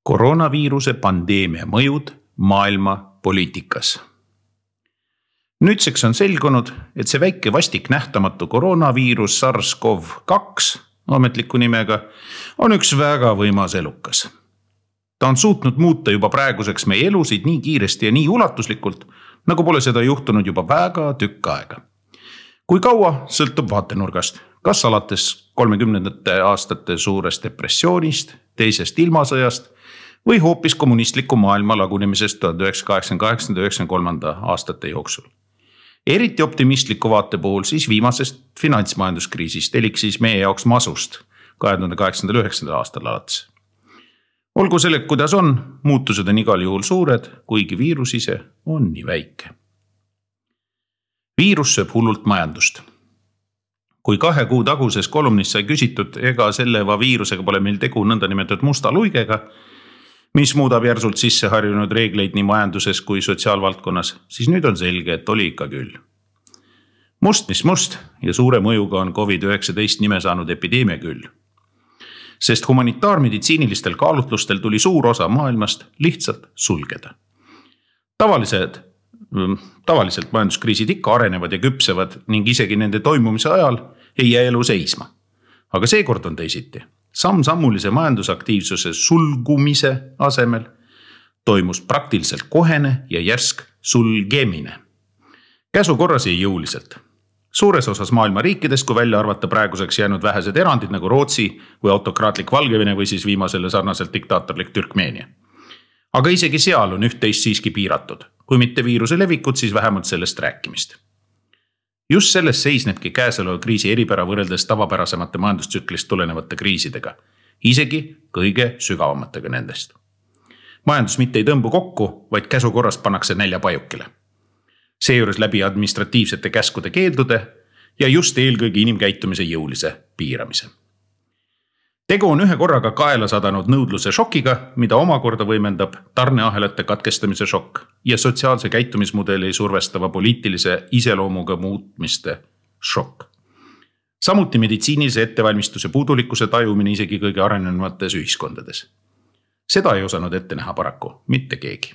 Koroonaviiruse pandeemia mõjud maailma poliitikas. Nüüdseks on selgunud, et see väike vastik nähtamatu koroonaviirus SARS-CoV-2 ametliku nimega on üks väga võimas elukas. Ta on suutnud muuta juba praeguseks meie elusid nii kiiresti ja nii ulatuslikult, nagu pole seda juhtunud juba väga tükk aega. Kui kaua sõltub vaatenurgast, kas alates 30. aastate suurest depressioonist, teisest ilmasõjast või hoopis kommunistliku maailma lagunemisest 1988-1993 aastate jooksul. Eriti optimistliku vaate puhul siis viimasest finantsmajanduskriisist elik siis meie jaoks masust 2008-2009 aastal alates. Olgu selle, kuidas on, muutused on igal juhul suured, kuigi viirus ise on nii väike. Viirus sööb hullult majandust. Kui 2 kuu taguses kolumnis sai küsitud, ega selle viirusega pole meil tegu nõndanimetatud musta luigega, mis muudab järsult sisse harjunud reegleid nii majanduses kui sotsiaalvaldkonnas, siis nüüd on selge, et oli ikka küll. Must mis must ja suure mõjuga on COVID-19 nime saanud epideemia küll. Sest humanitaarmeditsiinilistel kaalutlustel tuli suur osa maailmast lihtsalt sulgeda. Tavaliselt majanduskriisid ikka arenevad ja küpsevad ning isegi nende toimumise ajal ei jää elu seisma. Aga seekord on teisiti. Samm-sammulise majandusaktiivsuse sulgumise asemel toimus praktiliselt kohene ja järsk sulgemine. Käsu korras ja jõuliselt. Suures osas maailma riikides, kui välja arvata praeguseks jäänud vähesed erandid nagu Rootsi või autokraatlik Valgevene või siis viimasele sarnaselt diktaatorlik Türkmeenia. Aga isegi seal on üht-teist siiski piiratud. Kui mitte viiruse levikut, siis vähemalt sellest rääkimist. Just selles seisnebki käesoleva kriisi eripära võrreldes tavapärasemate majandustsüklist tulenevate kriisidega, isegi kõige sügavamatega nendest. Majandus mitte ei tõmbu kokku, vaid käsu korras pannakse näljapajukile. Seejuures läbi administratiivsete käskude keeldude ja just eelkõige inimkäitumise jõulise piiramise. Tegu on ühe korraga kaela sadanud nõudluse šokiga, mida omakorda võimendab tarneahelate katkestamise šokk ja sotsiaalse käitumismudeli survestava poliitilise iseloomuga muutmiste šokk. Samuti meditsiinilise ettevalmistuse puudulikkuse tajumine isegi kõige arenenumates ühiskondades. Seda ei osanud ette näha paraku, mitte keegi.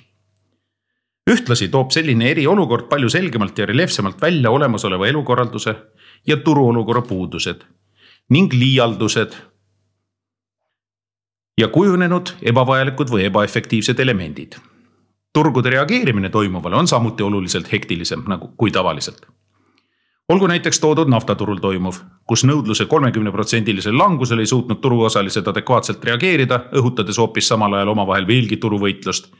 Ühtlasi toob selline eriolukord palju selgemalt ja reljeefsemalt välja olemasoleva elukorralduse ja turuolukorra puudused ning liialdused ja kujunenud ebavajalikud või ebaefektiivsed elemendid. Turgude reageerimine toimuvale on samuti oluliselt hektilisem kui tavaliselt. Olgu näiteks toodud naftaturul toimuv, kus nõudluse 30% langusel ei suutnud turuosalised adekvaatselt reageerida, õhutades hoopis samal ajal omavahel veelgi turuvõitlust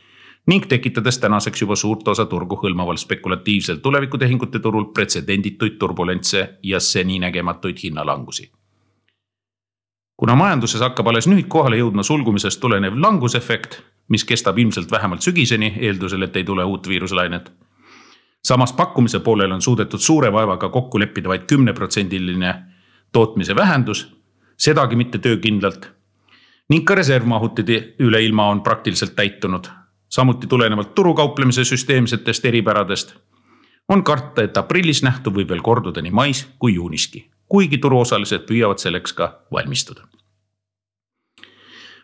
ning tekitades tänaseks juba suurt osa turgu hõlmaval spekulatiivsel tulevikutehingute turul pretsedendituid turbulentse ja seni nägematuid hinnalangusi. Kuna majanduses hakkab alles nüüd kohale jõudma sulgumisest tulenev langusefekt, mis kestab ilmselt vähemalt sügiseni, eeldusel, et ei tule uut viiruslainet. Samas pakkumise poolel on suudetud suure vaevaga kokku leppida vaid 10% tootmise vähendus, sedagi mitte töökindlalt, ning ka reservmahutid üle ilma on praktiliselt täitunud. Samuti tulenevalt turukauplemise süsteemsetest eripäradest on karta, et aprillis nähtu võib veel korduda nii mais kui juuniski, kuigi turuosalised püüavad selleks ka valmistuda.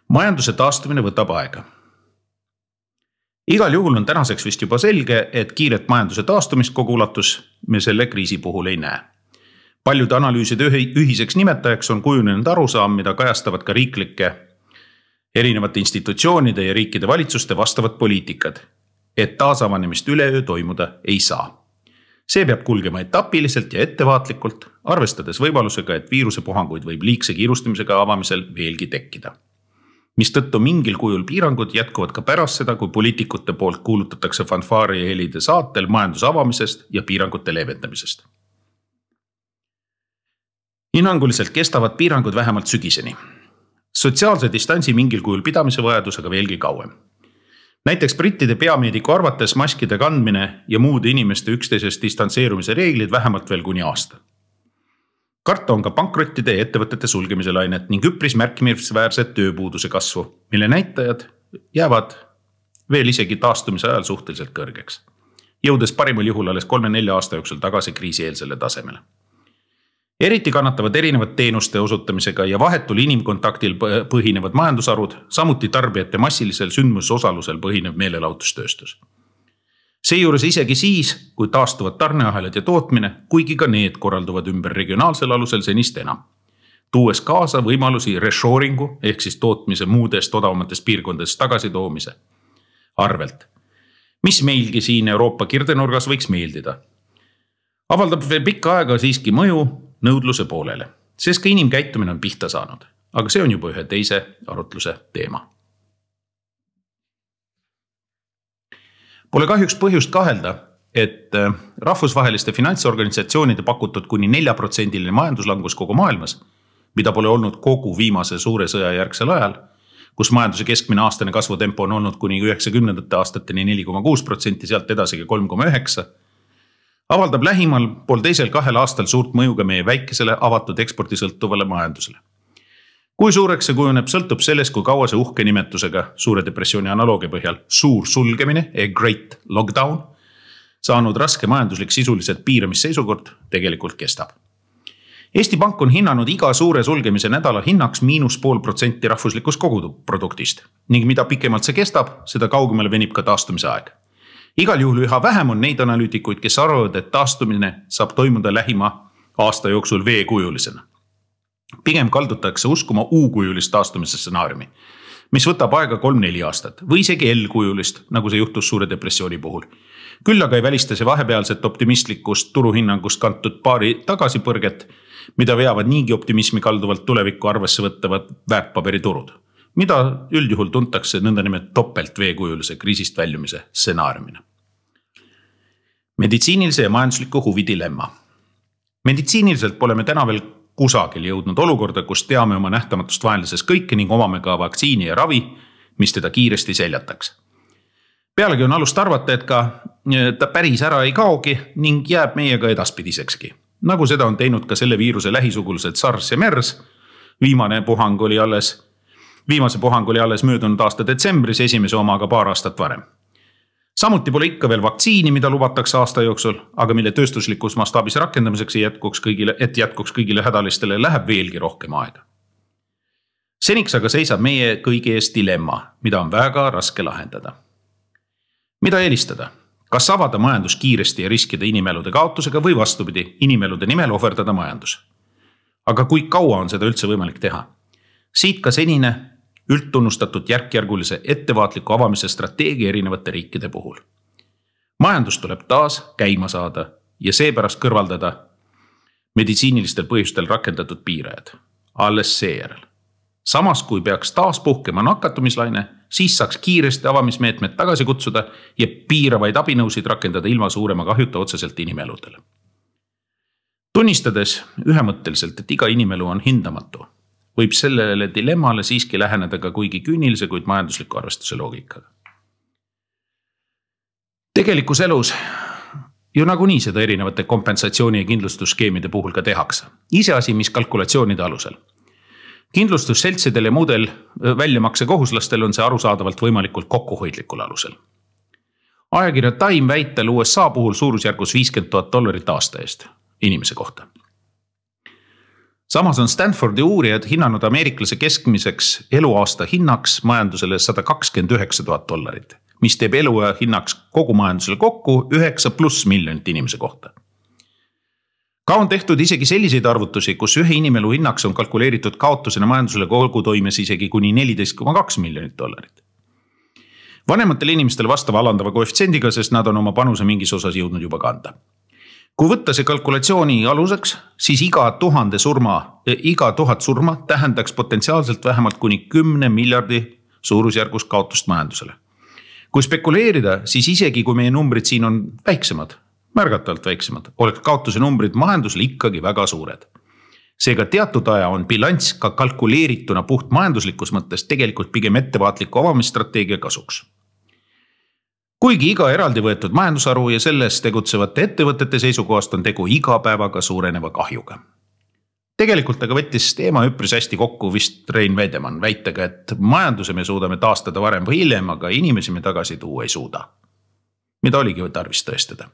Majanduse taastumine võtab aega. Igal juhul on tänaseks vist juba selge, et kiiret majanduse taastumist kogu ulatus me selle kriisi puhul ei näe. Paljude analüüside ühiseks nimetajaks on kujunenud arusaam, mida kajastavad ka riiklike erinevate institutsioonide ja riikide valitsuste vastavad poliitikad, et taasavanemist üleöö toimuda ei saa. See peab kulgema etapiliselt ja ettevaatlikult, arvestades võimalusega, et viirusepuhanguid võib liigse kiirustamisega avamisel veelgi tekkida. Mistõttu mingil kujul piirangud jätkuvad ka pärast seda, kui poliitikute poolt kuulutatakse fanfaari ja helide saatel majanduse avamisest ja piirangute leevendamisest. Hinnanguliselt kestavad piirangud vähemalt sügiseni. Sotsiaalse distantsi mingil kujul pidamise vajadus aga veelgi kauem. Näiteks brittide peameediku arvates maskide kandmine ja muude inimeste üksteisest distantseerumise reeglid vähemalt veel kuni aasta. Karta on ka pankrottide ja ettevõtete sulgemise lainet ning üpris märkimisväärset tööpuuduse kasvu, mille näitajad jäävad veel isegi taastumise ajal suhteliselt kõrgeks, jõudes parimal juhul alles 3-4 aasta jooksul tagasi kriisieelsele tasemele. Eriti kannatavad erinevad teenuste osutamisega ja vahetul inimkontaktil põhinevad majandusarud, samuti tarbijate massilisel sündmusosalusel põhinev meelelahutustööstus. Seejuures isegi siis, kui taastuvad tarneahelad ja tootmine, kuigi ka need korralduvad ümber regionaalsel alusel senist enam, tuues kaasa võimalusi reshoringu ehk siis tootmise muudest odavamatest piirkondadest tagasitoomise arvelt, mis meilgi siin Euroopa kirdenurgas võiks meeldida. Avaldab veel pikka aega siiski mõju nõudluse poolele, sest ka inimkäitumine on pihta saanud, aga see on juba ühe teise arutluse teema. Pole kahjuks põhjust kahelda, et rahvusvaheliste finantsorganisatsioonide pakutud kuni 4% majanduslangus kogu maailmas, mida pole olnud kogu viimase suure sõja järgsel ajal, kus majanduse keskmine aastane kasvutempo on olnud kuni 90. aastateni 4,6%, sealt edasigi 3,9%, avaldab lähimal 1,5–2 aastal suurt mõju ka meie väikesele avatud ekspordisõltuvale majandusele. Kui suureks see kujuneb, sõltub sellest, kui kaua see uhke nimetusega suure depressiooni analoogia põhjal suur sulgemine Great Lockdown saanud raske majanduslik sisuliselt piiramisseisukord tegelikult kestab. Eesti Pank on hinnanud iga suure sulgemise nädala hinnaks –0,5% rahvuslikust koguproduktist ning mida pikemalt see kestab, seda kaugemale venib ka taastumise aeg. Igal juhul üha vähem on neid analüütikuid, kes arvavad, et taastumine saab toimuda lähima aasta jooksul V-kujulisena. Pigem kaldutakse uskuma U-kujulist taastumise stsenaariumi, mis võtab aega 3–4 aastat või isegi L-kujulist, nagu see juhtus suure depressiooni puhul. Küll aga ei välista see vahepealset optimistlikust turuhinnangust kantud paari tagasipõrget, mida veavad niigi optimismi kalduvalt tulevikku arvesse võttavad väärtpaberiturud, mida üldjuhul tuntakse nõndanimelt topelt V-kujulise kriisist väljumise stsenaariumina. Meditsiinilise ja majandusliku huvi dilemma. Meditsiiniliselt pole me täna veel kusagil jõudnud olukorda, kus teame oma nähtamatust vaenlases kõike ning omame ka vaktsiini ja ravi, mis teda kiiresti seljataks. Pealegi on alust arvata, et ka ta päris ära ei kaogi ning jääb meiega edaspidisekski. Nagu seda on teinud ka selle viiruse lähisugulused SARS ja MERS. Viimase puhang oli alles möödunud aasta detsembris, esimese omaga paar aastat varem. Samuti pole ikka veel vaktsiini, mida lubatakse aasta jooksul, aga mille tööstuslikus mastaabis rakendamiseks jätkuks kõigile hädalistele läheb veelgi rohkem aega. Seniks aga seisab meie kõigi ees dilemma, mida on väga raske lahendada. Mida eelistada? Kas avada majandus kiiresti ja riskida inimelude kaotusega või vastupidi, inimelude nimel ohverdada majandus? Aga kui kaua on seda üldse võimalik teha? Siit ka senine üldtunnustatud järkjärgulise ettevaatliku avamise strateegia erinevate riikide puhul. Majandus tuleb taas käima saada ja seepärast kõrvaldada meditsiinilistel põhjustel rakendatud piirajad. Alles seejärel. Samas kui peaks taas puhkema nakatumislaine, siis saaks kiiresti avamismeetmed tagasi kutsuda ja piiravaid abinõusid rakendada ilma suurema kahjuta otseselt inimeludele. Tunnistades ühemõtteliselt, et iga inimelu on hindamatu, võib sellele dilemmale siiski läheneda ka kuigi küünilise, kuid majandusliku arvestuse loogikaga. Tegelikus elus ju nagunii seda erinevate kompensatsiooni- ja kindlustusskeemide puhul ka tehakse. Iseasi, mis kalkulatsioonide alusel. Kindlustusseltsidel ja muudel väljamakse kohuslastel on see arusaadavalt võimalikult kokkuhoidlikul alusel. Ajakirja Time väitel USA puhul suurusjärgus $50,000 aasta eest inimese kohta. Samas on Stanfordi uurijad hinnanud ameeriklase keskmiseks eluaasta hinnaks majandusele $129,000, mis teeb eluaja hinnaks kogu majandusele kokku 9+ miljonit inimese kohta. Ka on tehtud isegi selliseid arvutusi, kus ühe inimelu hinnaks on kalkuleeritud kaotusena majandusele kogu toimes isegi kuni $14,2 miljonit. Vanematel inimestel vastava alandava koefitsiendiga, sest nad on oma panuse mingis osas jõudnud juba kanda. Kui võtta see kalkulatsiooni aluseks, siis iga 1000 surma tähendaks potentsiaalselt vähemalt kuni 10 miljardi suurusjärgus kaotust majandusele. Kui spekuleerida, siis isegi kui meie numbrid siin on väiksemad, märgatavalt väiksemad, oleks kaotuse numbrid majandusele ikkagi väga suured. Seega teatud aja on bilanss ka kalkuleerituna puht majanduslikus mõttes tegelikult pigem ettevaatliku avamisstrateegia kasuks. Kuigi iga eraldi võetud majandusharu ja selles tegutsevate ettevõtete seisukohast on tegu igapäevaga suureneva kahjuga. Tegelikult aga võttis teema üpris hästi kokku vist Rein Vedemann väitega, et majanduse me suudame taastada varem või hiljem, aga inimesi me tagasi tuua ei suuda. Mida oligi tarvis tõestada.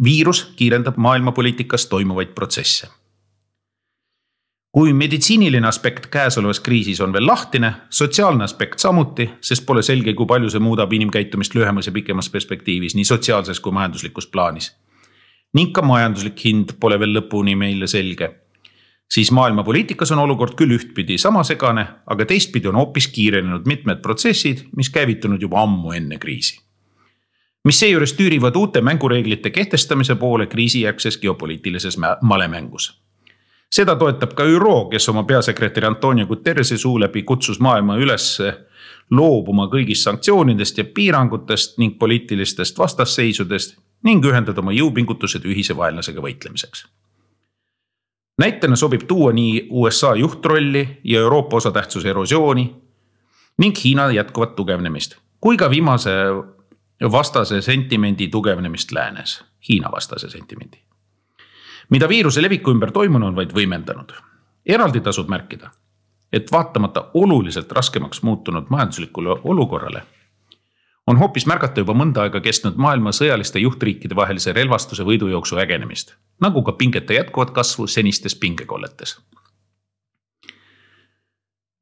Viirus kiirendab maailmapoliitikas toimuvaid protsesse. Kui meditsiiniline aspekt käesolevas kriisis on veel lahtine, sotsiaalne aspekt samuti, sest pole selge, kui palju see muudab inimkäitumist lühemas ja pikemas perspektiivis, nii sotsiaalses kui majanduslikus plaanis. Ning ka majanduslik hind pole veel lõpuni meile selge. Siis maailmapoliitikas on olukord küll ühtpidi sama segane, aga teistpidi on hoopis kiirenenud mitmed protsessid, mis käivitunud juba ammu enne kriisi. Mis seejuures tüürivad uute mängureeglite kehtestamise poole kriisijärgses geopoliitilises malemängus. Seda toetab ka ÜRO, kes oma peasekretäri Antonio Guterrese suu läbi kutsus maailma üles loobuma kõigist sanktsioonidest ja piirangutest ning poliitilistest vastasseisudest ning ühendada oma jõupingutused ühise vaenlasega võitlemiseks. Näitena sobib tuua nii USA juhtrolli ja Euroopa osatähtsuse erosiooni ning Hiina jätkuvat tugevnemist, kui ka viimase vastase sentimendi tugevnemist läänes, Hiina vastase sentimendi. Mida viiruse leviku ümber toimunu on vaid võimendanud. Eraldi tasub märkida, et vaatamata oluliselt raskemaks muutunud majanduslikule olukorrale, on hoopis märgata juba mõnda aega kestnud maailma sõjaliste juhtriikide vahelise relvastuse võidujooksu ägenemist, nagu ka pingete jätkuvat kasvu senistes pingekolletes.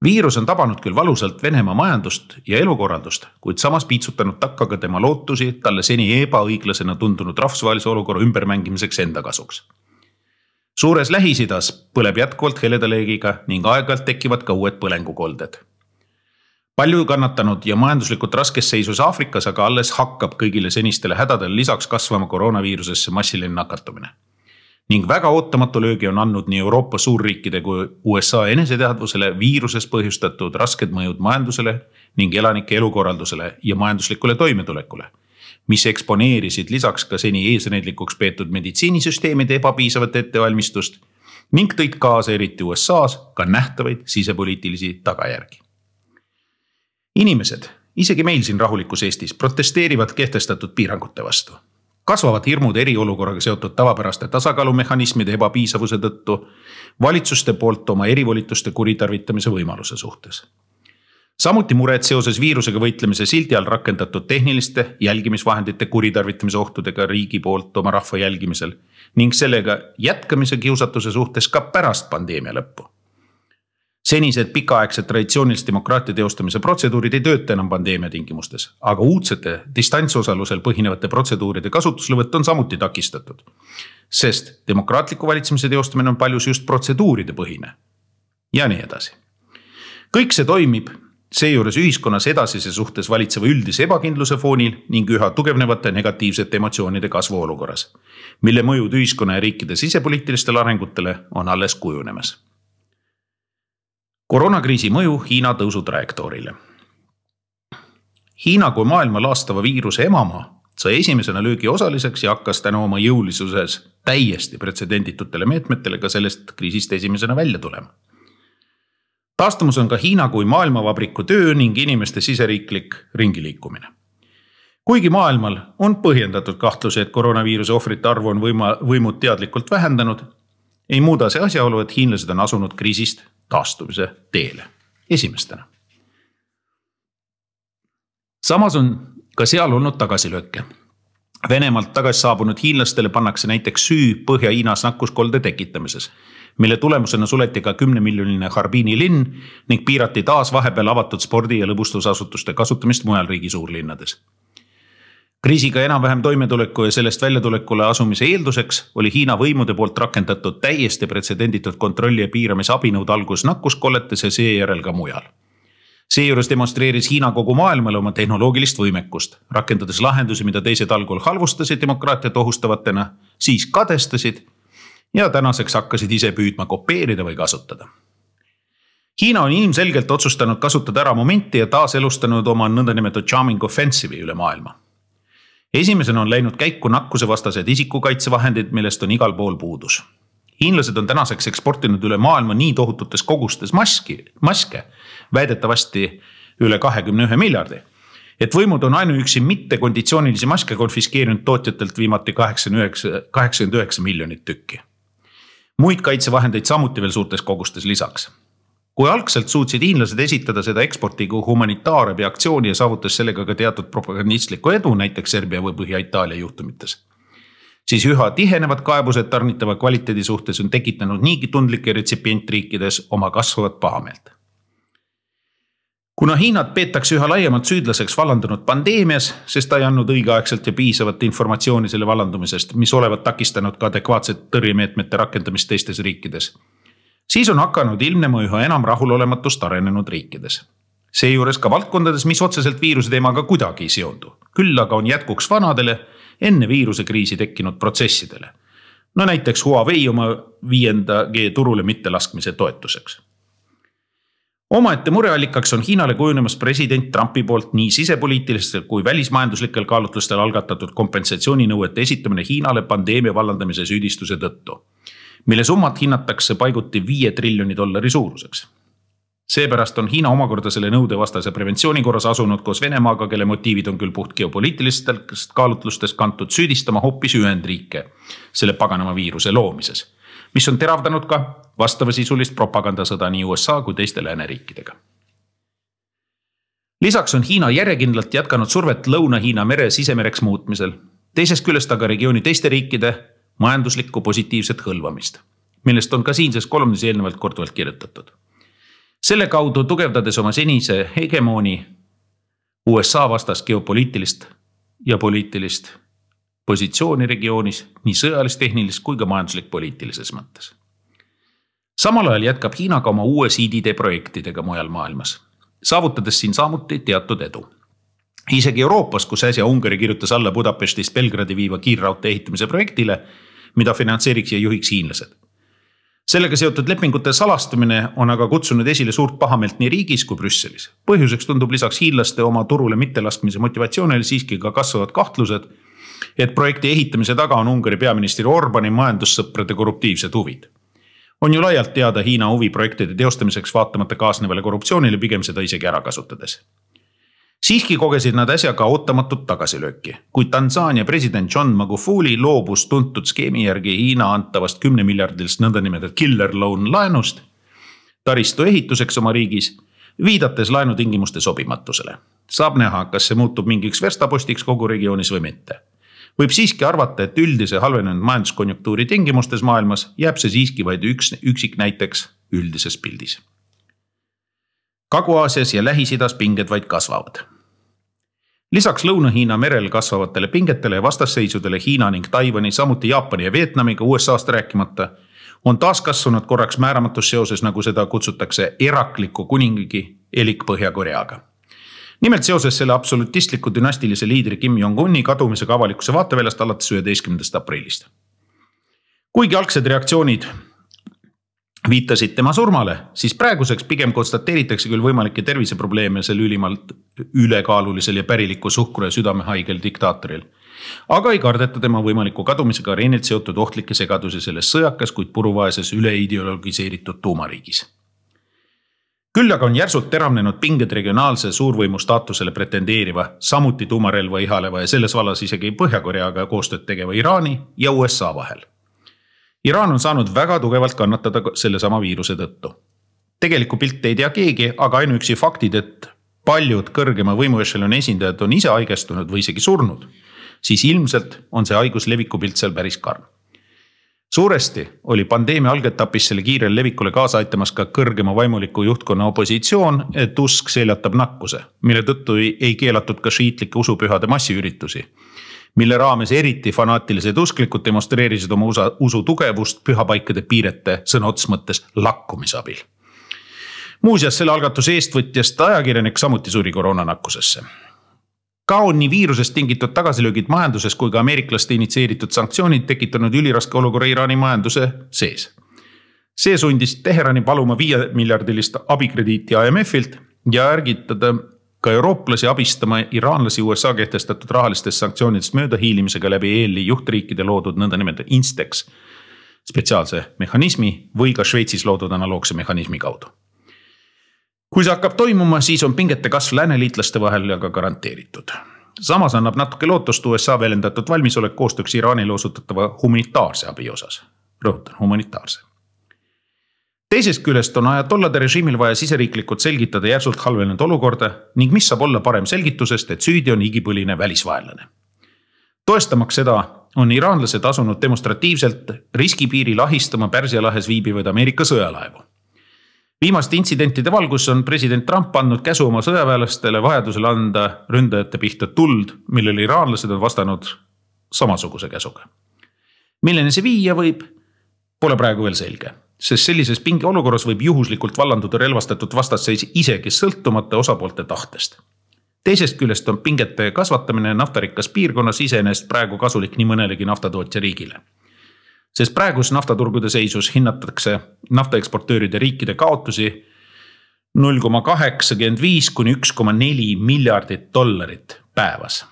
Viirus on tabanud küll valusalt Venemaa majandust ja elukorraldust, kuid samas piitsutanud takka ka tema lootusi talle seni ebaõiglasena tundunud rahvusvahelise olukorra ümbermängimiseks enda kasuks. Suures Lähis-Idas põleb jätkuvalt heledaleegiga ning aeg-ajalt tekivad ka uued põlengukolded. Palju kannatanud ja majanduslikult raskes seisus Aafrikas aga alles hakkab kõigile senistele hädadele lisaks kasvama koroonaviirusesse massiline nakatumine. Ning väga ootamatu löögi on andnud nii Euroopa suurriikide kui USA eneseteadvusele viirusest põhjustatud rasked mõjud majandusele ning elanike elukorraldusele ja majanduslikule toimetulekule, mis eksponeerisid lisaks ka seni eesnäidlikuks peetud meditsiinisüsteemide ebapiisavat ettevalmistust ning tõid kaasa eriti USA's ka nähtavaid sisepoliitilisi tagajärgi. Inimesed, isegi meil siin rahulikus Eestis, protesteerivad kehtestatud piirangute vastu. Kasvavad hirmud eriolukorraga seotud tavapäraste tasakaalumehhanismide ebapiisavuse tõttu valitsuste poolt oma erivolituste kuritarvitamise võimaluse suhtes. Samuti mured seoses viirusega võitlemise sildi all rakendatud tehniliste jälgimisvahendite kuritarvitamise ohtudega riigi poolt oma rahva jälgimisel ning sellega jätkamise kiusatuse suhtes ka pärast pandeemia lõppu. Senised pikaaegsed traditsioonilist demokraatia teostamise protseduurid ei tööta enam pandeemia tingimustes, aga uudsete distantsosalusel põhinevate protseduuride kasutuslevõtt on samuti takistatud, sest demokraatliku valitsemise teostamine on paljus just protseduuride põhine ja nii edasi. Kõik see toimib seejuures ühiskonnas edasise suhtes valitseva üldise ebakindluse foonil ning üha tugevnevate negatiivsete emotsioonide kasvu olukorras, mille mõjud ühiskonna ja riikide sisepoliitilistele arengutele on alles kujunemas. Koroonakriisi mõju Hiina tõusu trajektoorile. Hiina kui maailma laastava viiruse emamaa sai esimesena löögi osaliseks ja hakkas tänu oma jõulisuses täiesti pretsedenditutele meetmetele ka sellest kriisist esimesena välja tulema. Taastumus on ka Hiina kui maailmavabriku töö ning inimeste siseriiklik ringiliikumine. Kuigi maailmal on põhjendatud kahtluse, et koroonaviiruse ohvrite arvu on võimud teadlikult vähendanud, ei muuda see asjaolu, et hiinlased on asunud kriisist taastumise teele esimestena. Samas on ka seal olnud tagasilööke. Venemaalt tagasi saabunud hiinlastele pannakse näiteks süü Põhja-Hiinas nakkuskolde tekitamises, mille tulemusena suleti ka 10-miljoniline Harbini linn ning piirati taas vahepeal avatud spordi- ja lõbustusasutuste kasutamist mujal riigi suurlinnades. Kriisiga enam-vähem toimetuleku ja sellest väljatulekule asumise eelduseks oli Hiina võimude poolt rakendatud täiesti pretsedenditud kontrolli ja piiramise abinõud algus nakkuskolletes ja seejärel ka mujal. Seejuures demonstreeris Hiina kogu maailmale oma tehnoloogilist võimekust, rakendades lahendusi, mida teised algul halvustasid demokraatiat ohustavatena, siis kadestasid ja tänaseks hakkasid ise püüdma kopeerida või kasutada. Hiina on ilmselgelt otsustanud kasutada ära momenti ja taas elustanud oma nõndanimetatud charming offensive'i üle maailma. Esimesena on läinud käiku nakkusevastased isikukaitsevahendid, millest on igal pool puudus. Hiinlased on tänaseks eksportinud üle maailma nii tohututes kogustes maske, väidetavasti üle 21 miljardi, et võimud on ainuüksi mitte konditsioonilisi maske konfiskeerinud tootjatelt viimati 89 miljonit tükki. Muid kaitsevahendeid samuti veel suurtes kogustes lisaks. Kui algselt suutsid hiinlased esitada seda eksporti kui humanitaarabi aktsiooni ja saavutas sellega ka teatud propagandistlikku edu, näiteks Serbia või Põhja-Itaalia juhtumites, siis üha tihenevad kaebused tarnitava kvaliteedi suhtes on tekitanud niigi tundlike retsipientriikides oma kasvavat pahameelt. Kuna Hiinat peetakse üha laiemalt süüdlaseks vallandunud pandeemias, sest ta ei andnud õigeaegselt ja piisavat informatsiooni selle vallandumisest, mis olevat takistanud ka adekvaatset tõrjemeetmete rakendamist teistes riikides, siis on hakanud ilmnema üha enam rahulolematust arenenud riikides. Seejuures ka valdkondades, mis otseselt viiruse teemaga kuidagi ei seondu. Küll aga on jätkuks vanadele enne viiruse kriisi tekkinud protsessidele. No näiteks Huawei oma 5G turule mitte laskmise toetuseks. Omaette mureallikaks on Hiinale kujunemas president Trumpi poolt nii sisepoliitilistel kui välismajanduslikel kaalutlustel algatatud kompensatsiooninõuete esitamine Hiinale pandeemia vallandamise süüdistuse tõttu, mille summat hinnatakse paiguti $5 triljoni suuruseks. Seepärast on Hiina omakorda selle nõude vastase preventsiooni korras asunud koos Venemaaga, kelle motiivid on küll puht geopoliitilistest kaalutlustest kantud, süüdistama hoopis Ühendriike selle paganama viiruse loomises, mis on teravdanud ka vastavasisulist propagandasõda nii USA kui teiste lääneriikidega. Lisaks on Hiina järjekindlalt jätkanud survet Lõuna-Hiina mere sisemereks muutmisel, teisest küljest aga regiooni teiste riikide majanduslikku positiivset hõlvamist, millest on ka siinses kolumnis eelnevalt korduvalt kirjutatud. Selle kaudu tugevdades oma senise hegemooni USA vastas geopoliitilist ja poliitilist positsiooni regioonis nii sõjalist, tehnilist kui ka majanduslik-poliitilises mõttes. Samal ajal jätkab Hiina ka oma uue CDD projektidega mujal maailmas, saavutades siin samuti teatud edu. Isegi Euroopas, kus äsja Ungari kirjutas alla Budapestist Belgradi viiva kiirraudtee ehitamise projektile, mida finantseeriks ja juhiks hiinlased. Sellega seotud lepingute salastamine on aga kutsunud esile suurt pahameelt nii riigis kui Brüsselis. Põhjuseks tundub lisaks hiinlaste oma turule mittelaskmise motivatsioonil siiski ka kasvavad kahtlused, et projekti ehitamise taga on Ungari peaministri Orbani majandussõprade korruptiivsed huvid. On ju laialt teada Hiina huvi projektide teostamiseks vaatamata kaasnevale korruptsioonile, pigem seda isegi ära kasutades. Siiski kogesid nad äsja ka ootamatut tagasilööki, kui Tansaania president John Magufuli loobus tuntud skeemi järgi Hiina antavast 10 miljardilist nõndanimetatud killer loan laenust taristu ehituseks oma riigis, viidates laenutingimuste sobimatusele. Saab näha, kas see muutub mingiks verstapostiks kogu regioonis või mitte. Võib siiski arvata, et üldise halvenenud majanduskonjunktuuri tingimustes maailmas jääb see siiski vaid üksik näiteks üldises pildis. Kagu-Aasias ja Lähis-Idas pinged vaid kasvavad. Lisaks Lõuna-Hiina merel kasvavatele pingetele ja vastasseisudele Hiina ning Taiwani, samuti Jaapani ja Vietnamiga USA'st rääkimata, on taas kasvanud korraks määramatus seoses, nagu seda kutsutakse, erakliku kuningigi elik Põhja-Koreaga. Nimelt seoses selle absolutistliku dünastilise liidri Kim Jong-uni kadumisega avalikkuse vaateväljast alates 11. aprillist. Kuigi algsed reaktsioonid viitasid tema surmale, siis praeguseks pigem konstateeritakse küll võimalikke terviseprobleeme selle ülimalt ülekaalulisel ja päriliku suhkru- ja südamehaigel diktaatoril. Aga ei kardeta tema võimaliku kadumisega areenilt seotud ohtlikke segadusi selles sõjakas, kuid puruvaeses üleideologiseeritud tuumariigis. Küll aga on järsult teravnenud pinged regionaalse suurvõimu staatusele pretendeeriva, samuti tuumarelva ihaleva ja selles vallas isegi Põhja-Koreaga koostööd tegeva Iraani ja USA vahel. Iraan on saanud väga tugevalt kannatada selle sama viiruse tõttu. Tegeliku pilt ei tea keegi, aga ainuüksi faktid, et paljud kõrgema võimuešeloni esindajad on ise haigestunud või isegi surnud, siis ilmselt on see haigus levikupilt seal päris karm. Suuresti oli pandeemia algetapis selle kiirel levikule kaasa aitamas ka kõrgema vaimuliku juhtkonna opositsioon, et usk seljatab nakkuse, mille tõttu ei keelatud ka šiitlike usupühade massiüritusi, mille raames eriti fanaatilised usklikud demonstreerisid oma usu tugevust pühapaikade piirete sõna otseses mõttes lakkumisabil. Muuseas, selle algatuse eestvõtjast ajakirjanik samuti suri koroonanakkusesse. Ka on nii viirusest tingitud tagasilöögid majanduses kui ka ameeriklaste initsieeritud sanktsioonid tekitanud üliraske olukorra Iraani majanduse sees. See sundis Teherani paluma 5 miljardilist abikrediiti IMF-ilt ja ärgitada ka eurooplasi abistama iraanlasi USA kehtestatud rahalistest sanktsioonidest mööda hiilimisega läbi EL-i juhtriikide loodud nõndanimetatud Instex spetsiaalse mehhanismi või ka Šveitsis loodud analoogse mehhanismi kaudu. Kui see hakkab toimuma, siis on pingete kasv lääneliitlaste vahel aga garanteeritud. Samas annab natuke lootust USA välendatud valmisolek koostööks Iraanile osutatava humanitaarse abi osas. Rõhutan, humanitaarse. Teisest küljest on ajatollade režiimil vaja siseriiklikult selgitada järsult halvenenud olukorda ning mis saab olla parem selgitusest, et süüdi on igipõline välisvaenlane. Toestamaks seda on iraanlased asunud demonstratiivselt riskipiiril ahistama Pärsia lahes viibivaid Ameerika sõjalaevu. Viimaste intsidentide valgus on president Trump andnud käsu oma sõjaväelastele vajadusel anda ründajate pihta tuld, millele iraanlased on vastanud samasuguse käsuga. Milline see viia võib, pole praegu veel selge, sest sellises pingeolukorras võib juhuslikult vallanduda relvastatud vastasseis isegi sõltumata osapoolte tahtest. Teisest küljest on pingete kasvatamine naftarikkas piirkonnas iseenesest praegu kasulik nii mõnelegi naftatootja riigile. Sest praegus naftaturgude seisus hinnatakse naftaeksportööride riikide kaotusi 0,85 kuni 1,4 miljardit dollarit päevas.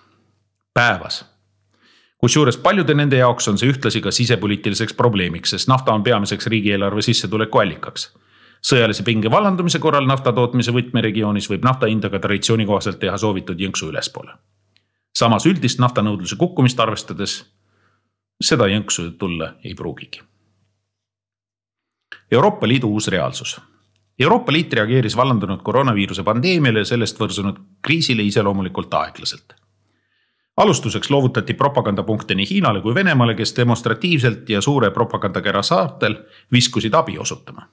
Kusjuures paljude nende jaoks on see ühtlasi ka sisepoliitiliseks probleemiks, sest nafta on peamiseks riigieelarve sissetuleku allikaks. Sõjalise pinge vallandumise korral naftatootmise võtmeregioonis võib nafta hindaga traditsiooni kohaselt teha soovitud jõnksu ülespoole. Samas üldist naftanõudluse kukkumist arvestades seda jõnksu tulla ei pruugigi. Euroopa Liidu uus reaalsus. Euroopa Liit reageeris vallandunud koroonaviiruse pandeemiale ja sellest võrsunud kriisile iseloomulikult aeglaselt. Alustuseks loovutati propagandapunkte nii Hiinale kui Venemaale, kes demonstratiivselt ja suure propagandakära saartel viskusid abi osutama.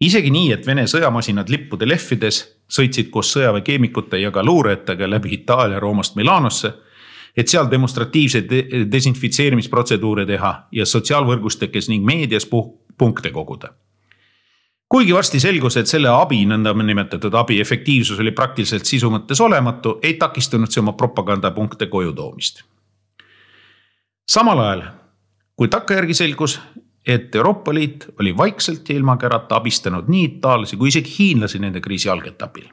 Isegi nii, et Vene sõjamasinad lippude lehvides sõitsid koos sõjaväekeemikute ja ka luurejatega läbi Itaalia Roomast Milanosse, et seal demonstratiivseid desinfitseerimisprotseduure teha ja sotsiaalvõrgustikes ning meedias punkte koguda. Kuigi varsti selgus, et selle abi, nõnda nimetatud abi efektiivsus oli praktiliselt sisu mõttes olematu, ei takistunud see oma propagandapunkte koju toomist. Samal ajal, kui takkajärgi selgus, et Euroopa Liit oli vaikselt ja ilma kärata abistanud nii itaallasi kui isegi hiinlasi nende kriisi algetapil.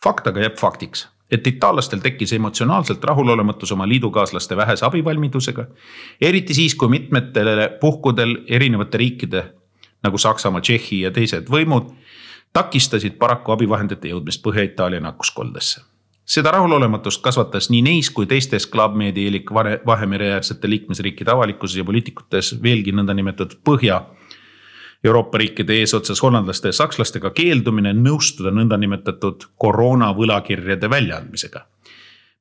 Fakt aga jääb faktiks, et itaallastel tekkis emotsionaalselt rahulolematus oma liidukaaslaste vähese abivalmidusega, eriti siis, kui mitmetele puhkudel erinevate riikide nagu Saksamaa, Tšehhi ja teised võimud takistasid paraku abivahendite jõudmist Põhja-Itaalia nakkuskoldesse. Seda rahulolematust kasvatas nii neis kui teistes klaabmeedi elik Vahemereäärsete liikmesriikide avalikkuses ja poliitikutes veelgi nõnda nimetatud Põhja Euroopa riikide eesotsas hollandlaste ja sakslastega keeldumine nõustuda nõnda nimetatud koroona võlakirjade väljaandmisega.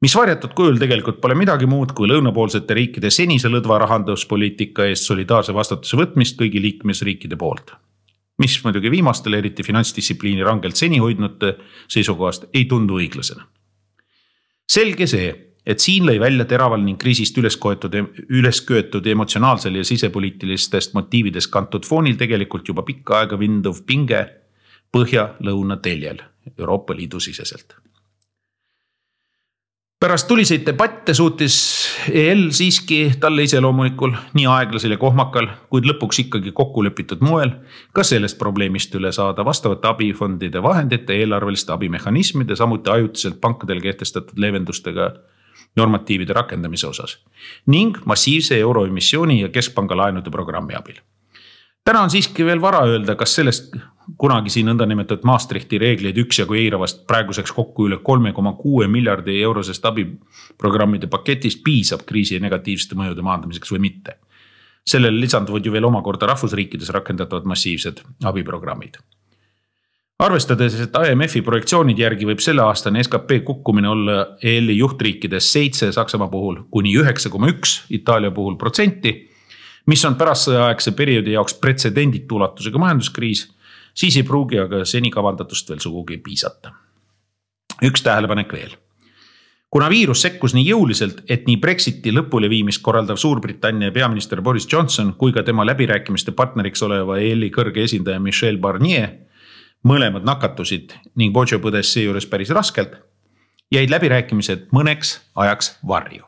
Mis varjatud kujul tegelikult pole midagi muud kui lõunapoolsete riikide senise lõdva rahanduspoliitika eest solidaarse vastutuse võtmist kõigi liikmesriikide poolt. Mis muidugi viimastele eriti finantsdistsipliini rangelt seni hoidnud seisukohast ei tundu õiglasena. Selge see, et siin lõi välja teraval ning kriisist ülesköetud emotsionaalsel ja sisepoliitilistest motiividest kantud foonil tegelikult juba pikka aega vinduv pinge põhja-lõuna teljel Euroopa Liidu siseselt. Pärast tuliseid debatte suutis EL siiski talle iseloomulikul nii aeglasel ja kohmakal, kuid lõpuks ikkagi kokkulepitud moel ka sellest probleemist üle saada vastavate abifondide vahendite, eelarveliste abimehhanismide, samuti ajutiselt pankadel kehtestatud leevendustega normatiivide rakendamise osas ning massiivse euroemissiooni ja keskpanga laenude programmi abil. Täna on siiski veel vara öelda, kas sellest kunagi siin nõnda nimetatud Maastrichti reegleid üksjagu eiravast praeguseks kokku üle 3,6 miljardi eurosest abiprogrammide paketist piisab kriisi negatiivsete mõjude maandamiseks või mitte. Sellele lisanduvad ju veel omakorda rahvusriikides rakendatavad massiivsed abiprogrammid. Arvestades, et IMF-i projektsioonid järgi võib selle aastane SKP kukkumine olla EL-i juhtriikides 7 Saksamaa puhul kuni 9,1 Itaalia puhul protsenti, mis on pärast sõjaaegse perioodi jaoks pretsedenditu ulatusega majanduskriis, siis ei pruugi aga seni kavandatust veel sugugi piisata. Üks tähelepanek veel. Kuna viirus sekkus nii jõuliselt, et nii Brexiti lõpule viimist korraldav Suurbritannia peaminister Boris Johnson kui ka tema läbirääkimiste partneriks oleva EL-i kõrge esindaja Michel Barnier mõlemad nakatusid ning Bojo põdes seejuures päris raskelt, jäid läbirääkimised mõneks ajaks varju.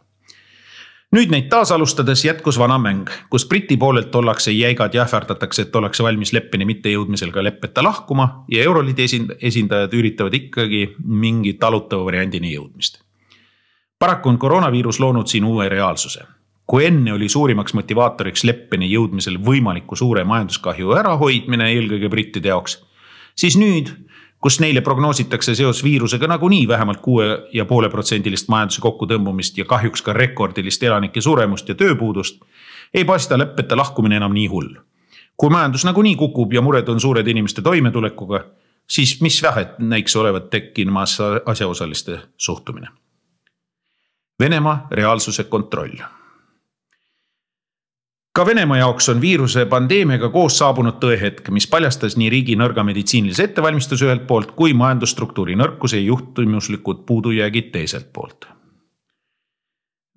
Nüüd neid taas alustades jätkus vana mäng, kus Briti poolelt ollakse jäigad ja ähvardatakse, et ollakse valmis leppeni mitte jõudmisel ka leppeta lahkuma ja Euroliidi esindajad üritavad ikkagi mingi talutava variandini jõudmist. Paraku on koroonaviirus loonud siin uue reaalsuse. Kui enne oli suurimaks motivaatoriks leppeni jõudmisel võimaliku suure majanduskahju ärahoidmine eelkõige brittide jaoks, siis nüüd, kus neile prognoositakse seos viirusega nagunii vähemalt 6,5% majanduse kokkutõmbumist ja kahjuks ka rekordilist elanike suremust ja tööpuudust, ei paista leppeta lahkumine enam nii hull. Kui majandus nagunii kukub ja mured on suured inimeste toimetulekuga, siis mis vähet näiks olevat tekkimas asjaosaliste suhtumine. Venemaa reaalsuse kontroll. Ka Venemaa jaoks on viiruse pandeemiaga koos saabunud tõehetk, mis paljastas nii riigi nõrga meditsiinilise ettevalmistuse ühelt poolt kui majandusstruktuuri nõrkuse ja juhtimuslikud puudujäägid teiselt poolt.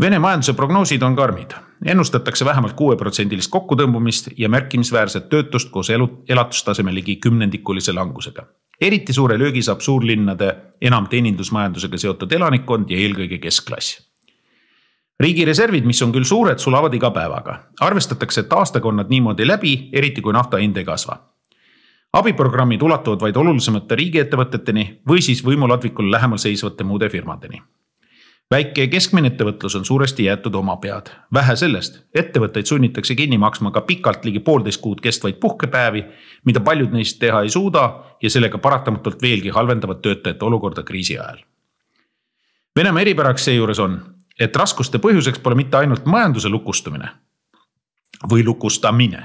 Vene majanduse prognoosid on karmid. Ennustatakse vähemalt 6% kokkutõmbumist ja märkimisväärset töötust koos elatustaseme ligi 10% langusega. Eriti suure löögi saab suurlinnade enam teenindusmajandusega seotud elanikkond ja eelkõige keskklass. Riigi reservid, mis on küll suured, sulavad iga päevaga. Arvestatakse, et aastaga on nad niimoodi läbi, eriti kui nafta hind ei kasva. Abiprogrammid ulatuvad vaid olulisemate riigiettevõteteni või siis võimuladvikul lähemal seisvate muude firmadeni. Väike ja keskmine ettevõtlus on suuresti jäetud oma pead. Vähe sellest, ettevõtteid sunnitakse kinni maksma ka pikalt ligi 1,5 kuud kestvaid puhkepäevi, mida paljud neist teha ei suuda ja sellega paratamatult veelgi halvendavad töötajate olukorda kriisi ajal. Venemaa eripäraks seejuures on, et raskuste põhjuseks pole mitte ainult majanduse lukustumine või lukustamine,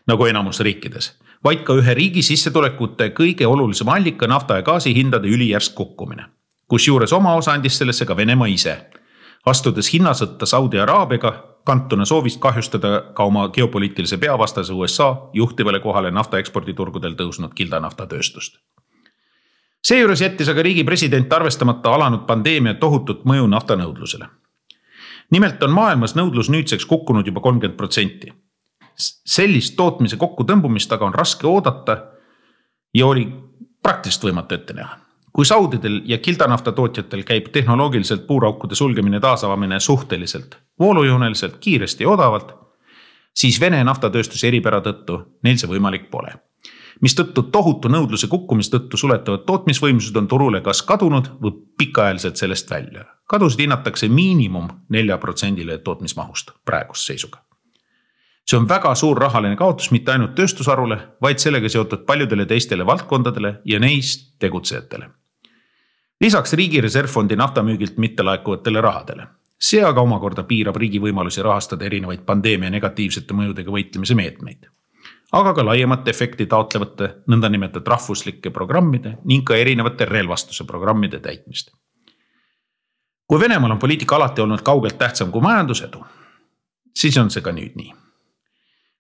nagu enamus riikides, vaid ka ühe riigi sissetulekute kõige olulisem allika nafta ja gaasi hindade ülijärsk kukkumine. Kusjuures oma osa andis sellesse ka Venemaa ise, astudes hinnasõtta Saudi Araabiaga, kantuna soovist kahjustada ka oma geopoliitilise peavastase USA juhtivale kohale nafta eksporditurgudel tõusnud kildanaftatööstust. Seejuures jättis aga riigi president arvestamata alanud pandeemia tohutut mõju naftanõudlusele. Nimelt on maailmas nõudlus nüüdseks kukkunud juba 30%. Sellist tootmise kokkutõmbumist aga on raske oodata ja oli praktiliselt võimatu ette näha. Kui saudidel ja kildanafta tootjatel käib tehnoloogiliselt puuraukude sulgemine taasavamine suhteliselt voolujooneliselt, kiiresti ja odavalt, siis Vene naftatööstuse eripära tõttu neil see võimalik pole. Mistõttu tohutu nõudluse kukkumis tõttu suletavad tootmisvõimsused on turule kas kadunud või pikaajaliselt sellest välja. Kadusid hinnatakse miinimum 4% tootmismahust praegust seisuga. See on väga suur rahaline kaotus mitte ainult tööstusarule, vaid sellega seotud paljudele teistele valdkondadele ja neist tegutsejatele. Lisaks riigi reservfondi naftamüügilt mitte laekuvatele rahadele. See aga omakorda piirab riigi võimalusi rahastada erinevaid pandeemia negatiivsete mõjudega võitlemise meetmeid. Aga ka laiemat efekti taotlevate nõndanimetatud rahvuslike programmide ning ka erinevate relvastuse programmide täitmist. Kui Venemaal on poliitika alati olnud kaugelt tähtsam kui majandusedu, siis on see ka nüüd nii.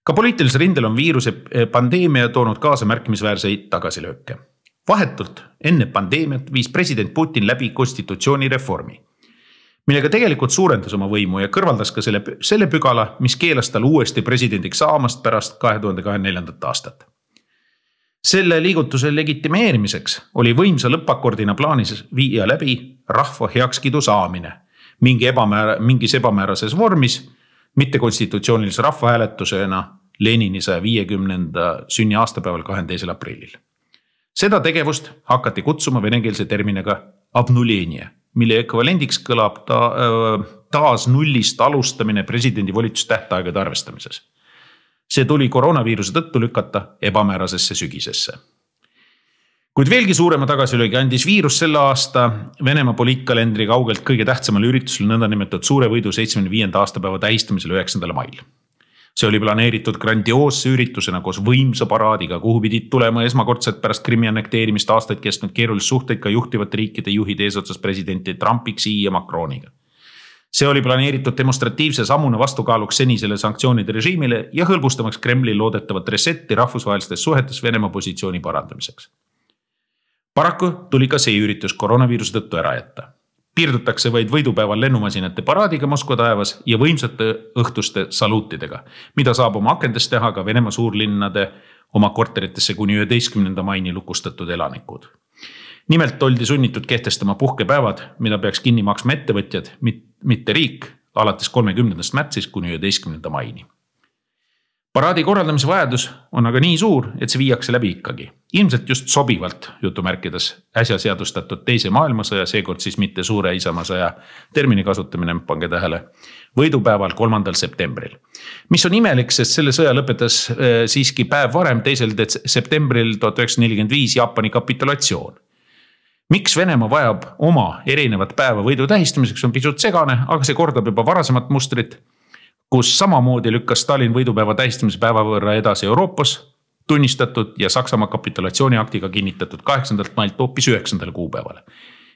Ka poliitilisel rindel on viiruse pandeemia toonud kaasa märkimisväärseid tagasilööke. Vahetult enne pandeemiat viis president Putin läbi konstitutsioonireformi, millega tegelikult suurendas oma võimu ja kõrvaldas ka selle pügala, mis keelas tal uuesti presidendiks saamast pärast 2024. aastat. Selle liigutuse legitimeerimiseks oli võimsa lõppakordina plaanis viia läbi rahva heakskiidu saamine mingis ebamäärases vormis, mitte konstitutsioonilise rahvahääletusena Lenini 150. sünni aastapäeval 22. aprillil. Seda tegevust hakati kutsuma venekeelse terminiga abnulenie, mille ekvivalendiks kõlab taas nullist alustamine presidendi volitustähtaegade arvestamises. See tuli koroonaviiruse tõttu lükata ebamäärasesse sügisesse. Kuid veelgi suurema tagasilöögi andis viirus selle aasta Venemaa poliitkalendri kaugelt kõige tähtsamal üritusel nõndanimetatud suure võidu 75. aastapäeva tähistamisel 9. mail. See oli planeeritud grandioosse üritusena koos võimsa paraadiga, kuhu pidid tulema esmakordselt pärast Krimmi annekteerimist aastaid kestnud keerulist suhteid ka juhtivate riikide juhid eesotsas presidenti Trumpi, Xi ja Macroniga. See oli planeeritud demonstratiivse sammuna vastukaaluks senisele sanktsioonide režiimile ja hõlbustamaks Kremli loodetavat resetti rahvusvahelistes suhetes Venemaa positsiooni parandamiseks. Paraku tuli ka see üritus koroonaviiruse tõttu ära jätta. Piirdutakse vaid võidupäeval lennumasinate paraadiga Moskva taevas ja võimsate õhtuste saluutidega, mida saab oma akendest teha ka Venemaa suurlinnade oma korteritesse kuni 11. maini lukustatud elanikud. Nimelt oldi sunnitud kehtestama puhkepäevad, mida peaks kinni maksma ettevõtjad, mitte riik, alates 30. märtsist kuni 11. maini. Paraadi korraldamise vajadus on aga nii suur, et see viiakse läbi ikkagi. Ilmselt just sobivalt jutumärkides äsja seadustatud teise maailmasõja, seekord siis mitte suure isamaasõja termini kasutamine, pange tähele, võidupäeval 3. septembril. Mis on imelik, sest selle sõja lõpetas siiski päev varem, 2. septembril 1945 Jaapani kapitulatsioon. Miks Venemaa vajab oma erinevat päeva võidu tähistamiseks on pisut segane, aga see kordab juba varasemat mustrit, kus samamoodi lükkas Stalin võidupäeva tähistamise päeva võrra edasi Euroopas tunnistatud ja Saksamaa kapitulatsiooniaktiga kinnitatud 8. mailt hoopis 9. kuupäevale.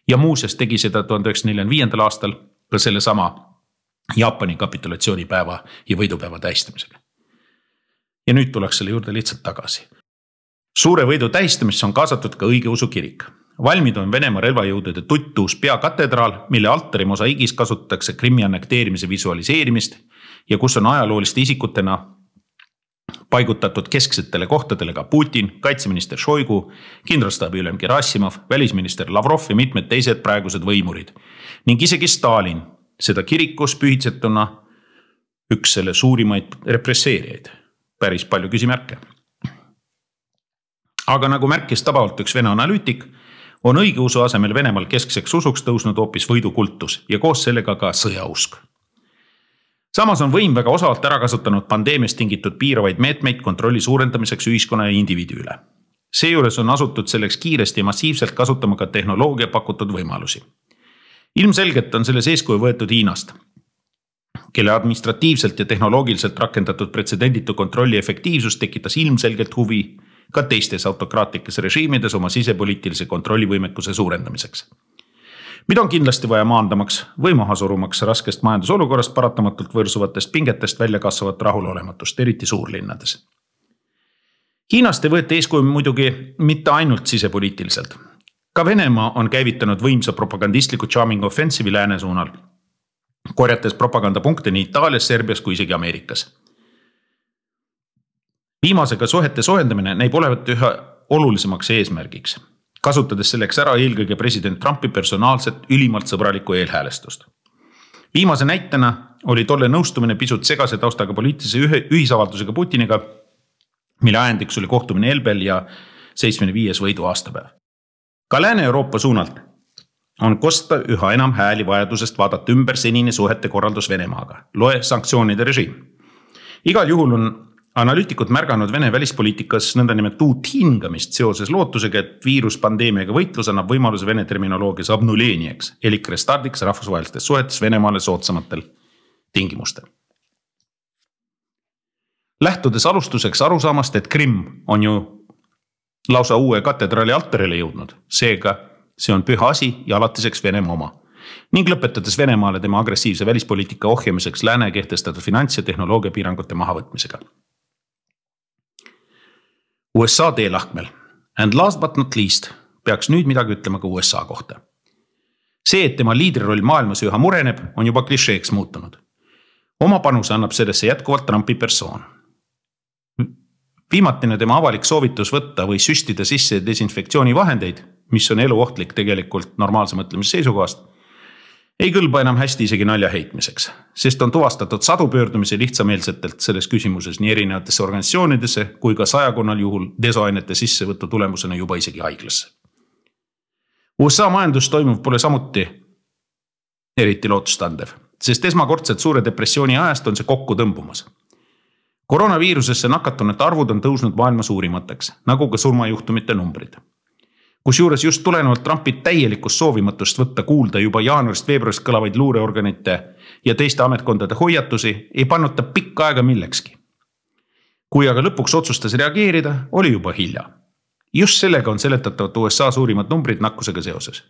Ja muuseas tegi seda 1945. aastal ka selle sama Jaapani kapitulatsioonipäeva ja võidupäeva tähistamisega. Ja nüüd tuleks selle juurde lihtsalt tagasi. Suure võidu tähistamisse on kaasatud ka õigeusu kirik. Valmid on Venemaa relvajõudude tuttuus peakatedraal, mille altari mosaiigis kasutatakse Krimmi annekteerimise visualiseerimist ja kus on ajalooliste isikutena paigutatud kesksetele kohtadele ka Putin, kaitseminister Šoigu, kindralstaabi ülem Gerassimov, välisminister Lavrov ja mitmed teised praegused võimurid. Ning isegi Stalin, seda kirikus pühitsetuna üks selle suurimaid represseerijaid. Päris palju küsimärke. Aga nagu märkis tabavalt üks Vene analüütik, on õigeusu asemel Venemaal keskseks usuks tõusnud hoopis võidukultus ja koos sellega ka sõjausk. Samas on võim väga osavalt ära kasutanud pandeemiast tingitud piiravaid meetmeid kontrolli suurendamiseks ühiskonna ja indiviidi üle. Seejuures on asutud selleks kiiresti ja massiivselt kasutama ka tehnoloogia pakutud võimalusi. Ilmselgelt on selles eeskuju võetud Hiinast, kelle administratiivselt ja tehnoloogiliselt rakendatud pretsedenditu kontrolli efektiivsus tekitas ilmselgelt huvi ka teistes autokraatlikes režiimides oma sisepoliitilise kontrollivõimekuse suurendamiseks. Mida on kindlasti vaja maandamaks või maha surumaks raskest majandusolukorrast paratamatult võrsuvatest pingetest välja kasvavat rahulolematust, eriti suurlinnades. Hiinast ei võeti eeskuju muidugi mitte ainult sisepoliitiliselt. Ka Venemaa on käivitanud võimsa propagandistliku charming offensive'i lääne suunal, korjates propagandapunkte nii Itaalias, Serbias kui isegi Ameerikas. Viimasega suhete soojendamine näib olevat üha olulisemaks eesmärgiks, kasutades selleks ära eelkõige president Trumpi personaalset ülimalt sõbralikku eelhäälestust. Viimase näitena oli tolle nõustumine pisut segase taustaga poliitilise ühisavaldusega Putiniga, mille ajendiks oli kohtumine Elbel ja 75. võidu aastapäev. Ka Lääne-Euroopa suunalt on kosta üha enam hääli vajadusest vaadata ümber senine suhete korraldus Venemaaga, loe sanktsioonide režiim. Igal juhul on analüütikud märganud Vene välispoliitikas nõndanimelt uut hingamist seoses lootusega, et viiruspandeemiaga võitlus annab võimaluse Vene terminoloogias obnuleeniaks, elik restardiks rahvusvahelistes suhetes Venemaale soodsamatel tingimustel. Lähtudes alustuseks arusaamast, et Krimm on ju lausa uue katedraali altarile jõudnud, seega see on püha asi ja alatiseks Venemaa oma. Ning lõpetades Venemaale tema agressiivse välispoliitika ohjamiseks lääne kehtestatud finants- ja tehnoloogia piirangute mahavõtmisega. USA teelahkmel. And last but not least peaks nüüd midagi ütlema ka USA kohta. See, et tema liidriroll maailmas üha mureneb, on juba klišeeks muutunud. Oma panuse annab sellesse jätkuvalt Trumpi persoon. Viimatine tema avalik soovitus võtta või süstida sisse desinfektsioonivahendeid, mis on eluohtlik tegelikult normaalse mõtlemise seisukohast, ei kõlba enam hästi isegi nalja heitmiseks, sest on tuvastatud sadu pöördumisi lihtsameelsetelt selles küsimuses nii erinevatesse organisatsioonidesse kui ka 100 juhul desoainete sissevõtu tulemusena juba isegi haiglasse. USA majandus toimuv pole samuti eriti lootustandev, sest esmakordselt suure depressiooni ajast on see kokku tõmbumas. Koroonaviirusesse nakatunute arvud on tõusnud maailma suurimateks, nagu ka surmajuhtumite numbrid. Kusjuures just tulenevalt Trumpi täielikust soovimatust võtta kuulda juba jaanuarist-veebruarist kõlavaid luureorganite ja teiste ametkondade hoiatusi ei pannud ta pikka aega millekski. Kui aga lõpuks otsustas reageerida, oli juba hilja. Just sellega on seletatavat USA suurimad numbrid nakkusega seoses.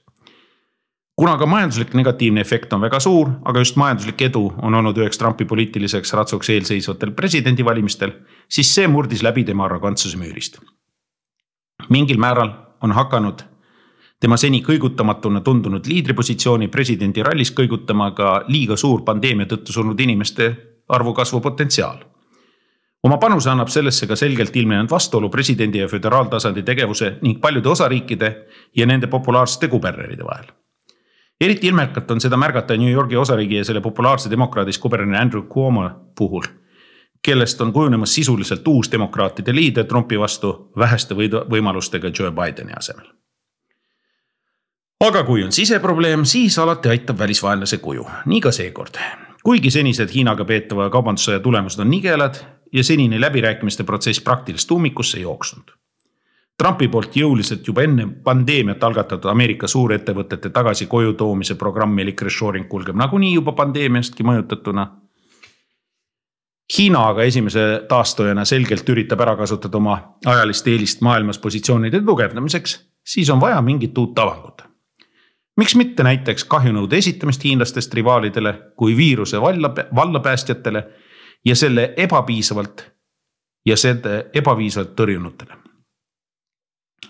Kuna ka majanduslik negatiivne efekt on väga suur, aga just majanduslik edu on olnud üheks Trumpi poliitiliseks ratsuks eelseisvatel presidendivalimistel, siis see murdis läbi tema arrogantsuse müürist. Mingil määral on hakanud tema seni kõigutamatuna tundunud liidripositsiooni presidendi rallis kõigutama ka liiga suur pandeemia tõttu surnud inimeste arvu kasvu potentsiaal. Oma panuse annab sellesse ka selgelt ilmnenud vastuolu presidendi ja föderaaltasandi tegevuse ning paljude osariikide ja nende populaarsete kuberneride vahel. Eriti ilmekalt on seda märgata New Yorgi osariigi ja selle populaarse demokraadis kuberner Andrew Cuomo puhul, kellest on kujunemas sisuliselt uus demokraatide liider Trumpi vastu väheste võimalustega Joe Bideni asemel. Aga kui on siseprobleem, siis alati aitab välisvaenlase kuju. Nii ka seekord. Kuigi senised Hiinaga peetava kaubandussõja tulemused on nigelad ja senine läbirääkimiste protsess praktilist ummikusse jooksnud. Trumpi poolt jõuliselt juba enne pandeemiat algatatud Ameerika suurettevõtete tagasi koju toomise programmi elik reshoring kulgeb nagunii juba pandeemiastki mõjutatuna. Hiina aga esimese taastojana selgelt üritab ära kasutada oma ajalist eelist maailmas positsioonide tugevdamiseks, siis on vaja mingit uut avangut. Miks mitte näiteks kahjunõude esitamist hiinlastest rivaalidele kui viiruse vallapäästjatele ja selle ebapiisavalt ja seda ebaviisavalt tõrjunutele.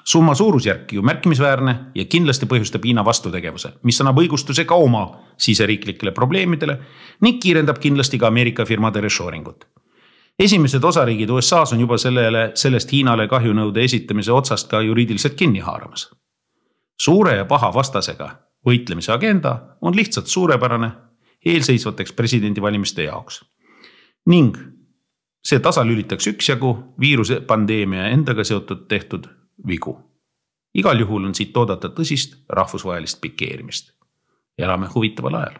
Summa suurusjärk ju märkimisväärne ja kindlasti põhjustab Hiina vastutegevuse, mis annab õigustuse ka oma siseriiklikele probleemidele ning kiirendab kindlasti ka Ameerika firmade reshoringut. Esimesed osariigid USA's on juba sellest Hiinale kahjunõude esitamise otsast ka juriidiliselt kinni haaramas. Suure ja paha vastasega võitlemise agenda on lihtsalt suurepärane eelseisvateks presidendivalimiste jaoks. Ning see tasalülitaks üksjagu viiruse pandeemia endaga seotud tehtud vigu. Igal juhul on siit oodata tõsist rahvusvahelist pikeerimist. Elame huvitaval ajal.